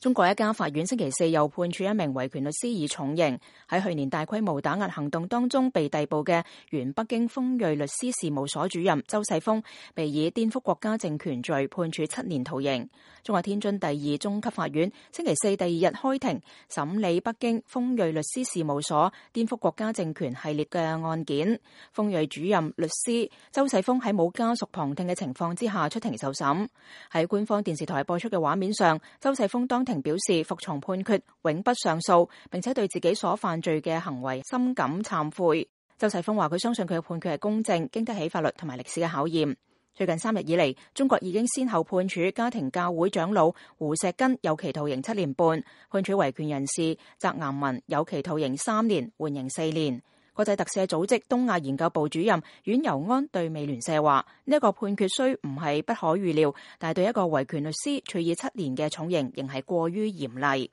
中國一家法院星期四又判處一名維權律師以重刑。喺去年大規模打壓行動當中被逮捕嘅原北京鋒銳律師事務所主任周世鋒，被以顛覆國家政權罪判處7年徒刑。中國天津第二中級法院星期四第二日開庭審理北京鋒銳律師事務所顛覆國家政權系列嘅案件。鋒銳主任律師周世鋒喺冇家屬旁聽嘅情況之下出庭受審。喺官方電視台播出嘅畫面上，周世鋒當庭表示服從判決，永不上訴，並且對自己所犯罪嘅行為深感懺悔。周世鋒話佢相信佢嘅判決係公正，經得起法律同埋歷史嘅考驗。最近3日以嚟，中國已經先後判處家庭教會長老胡錫根有期徒刑7年半，判處維權人士翟岩民有期徒刑3年，緩刑4年。國際特赦組織東亞研究部主任阮尤安對美聯社話：呢一個判決雖唔係不可預料，但係對一個維權律師處以7年嘅重刑，仍係過於嚴厲。